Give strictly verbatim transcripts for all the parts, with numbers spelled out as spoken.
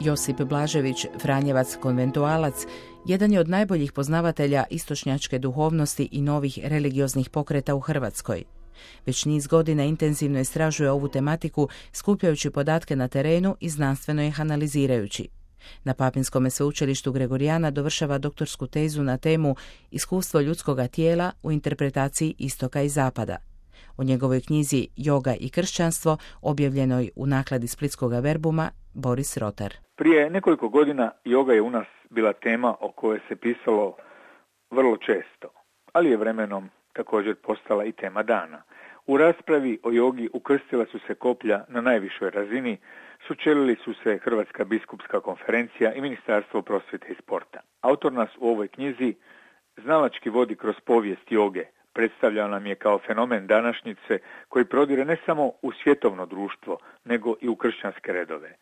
Josip Blažević, Franjevac konventualac, jedan je od najboljih poznavatelja istočnjačke duhovnosti i novih religioznih pokreta u Hrvatskoj. Već niz godina intenzivno istražuje ovu tematiku, skupljajući podatke na terenu i znanstveno ih analizirajući. Na Papinskom sveučilištu Gregorijana dovršava doktorsku tezu na temu Iskustvo ljudskoga tijela u interpretaciji istoka i zapada. O njegovoj knjizi Joga i kršćanstvo, objavljenoj u nakladi Splitskog Verbuma, Boris Rotar. Prije nekoliko godina joga je u nas bila tema o kojoj se pisalo vrlo često, ali je vremenom također postala i tema dana. U raspravi o jogi ukrstila su se koplja na najvišoj razini, sučelili su se Hrvatska biskupska konferencija i Ministarstvo prosvjete i sporta. Autor nas u ovoj knjizi znalački vodi kroz povijest joge, predstavljao nam je kao fenomen današnjice koji prodire ne samo u svjetovno društvo, nego i u kršćanske redove.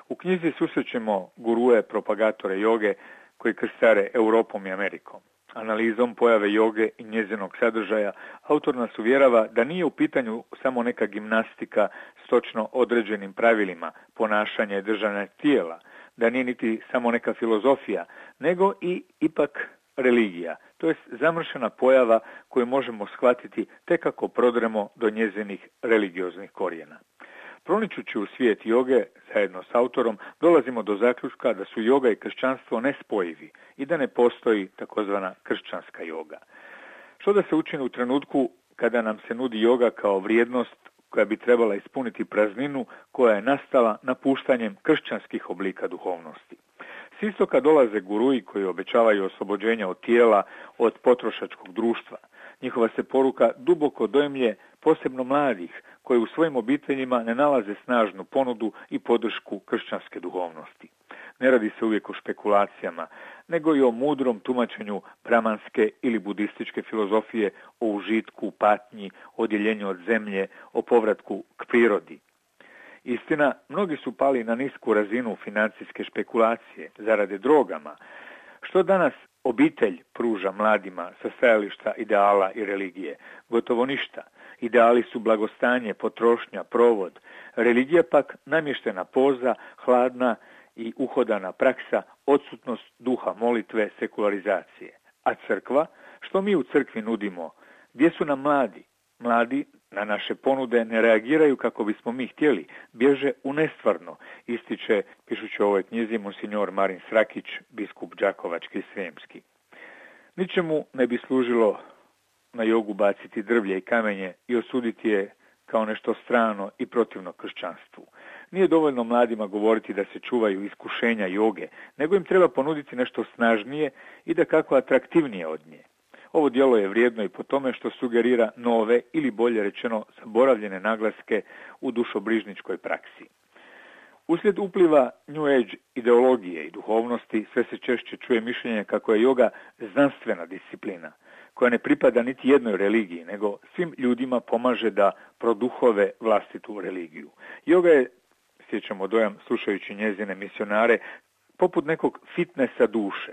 U knjizi susrećemo gurue, propagatore joge koji krstare Europom i Amerikom. Analizom pojave joge i njezinog sadržaja, autor nas uvjerava da nije u pitanju samo neka gimnastika s točno određenim pravilima, ponašanja i držanja tijela, da nije niti samo neka filozofija, nego i ipak religija, to jest zamršena pojava koju možemo shvatiti tek ako prodremo do njezinih religioznih korijena. Proničući u svijet joge, zajedno s autorom, dolazimo do zaključka da su joga i kršćanstvo nespojivi i da ne postoji takozvana kršćanska joga. Što da se učini u trenutku kada nam se nudi joga kao vrijednost koja bi trebala ispuniti prazninu koja je nastala napuštanjem kršćanskih oblika duhovnosti? S istoka dolaze guruji koji obećavaju oslobođenje od tijela, od potrošačkog društva. Njihova se poruka duboko dojmlje posebno mladih koji u svojim obiteljima ne nalaze snažnu ponudu i podršku kršćanske duhovnosti. Ne radi se uvijek o špekulacijama, nego i o mudrom tumačenju bramanske ili budističke filozofije, o užitku, patnji, odjeljenju od zemlje, o povratku k prirodi. Istina, mnogi su pali na nisku razinu financijske špekulacije, zarade drogama. Što danas obitelj pruža mladima sa stajališta ideala i religije? Gotovo ništa. Ideali su blagostanje, potrošnja, provod. Religija pak namještena poza, hladna i uhodana praksa, odsutnost duha molitve, sekularizacije. A crkva? Što mi u crkvi nudimo? Gdje su nam mladi? Mladi na naše ponude ne reagiraju kako bismo mi htjeli, bježe u nestvarno, ističe, pišući u ovoj knjizi, monsignor Marin Srakić, biskup Đakovački i Srijemski. Ničemu ne bi služilo na jogu baciti drvlje i kamenje i osuditi je kao nešto strano i protivno kršćanstvu. Nije dovoljno mladima govoriti da se čuvaju iskušenja joge, nego im treba ponuditi nešto snažnije i da kako atraktivnije od nje. Ovo djelo je vrijedno i po tome što sugerira nove ili bolje rečeno zaboravljene naglaske u dušobrižničkoj praksi. Uslijed upliva New Age ideologije i duhovnosti sve se češće čuje mišljenje kako je joga znanstvena disciplina, koja ne pripada niti jednoj religiji, nego svim ljudima pomaže da produhove vlastitu religiju. Joga je, stječemo dojam slušajući njezine misionare, poput nekog fitnesa duše.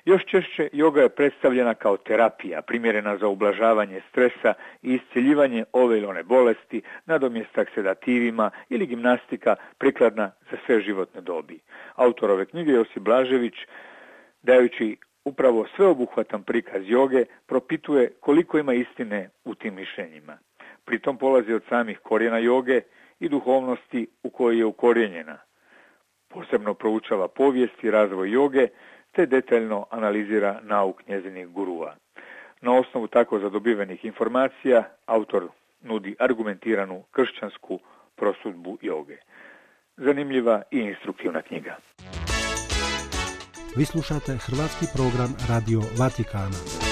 Još češće joga je predstavljena kao terapija, primjerena za ublažavanje stresa i iscjeljivanje ove ili one bolesti, nadomjestak sedativima ili gimnastika prikladna za sve životne dobi. Autor ove knjige Josip Blažević, dajući upravo sveobuhvatan prikaz joge, propituje koliko ima istine u tim mišljenjima. Pritom polazi od samih korijena joge i duhovnosti u kojoj je ukorijenjena. Posebno proučava povijest i razvoj joge, te detaljno analizira nauk njezinih gurua. Na osnovu tako zadobivenih informacija, autor nudi argumentiranu kršćansku prosudbu joge. Zanimljiva i instruktivna knjiga. Vi slušate hrvatski program Radio Vatikana.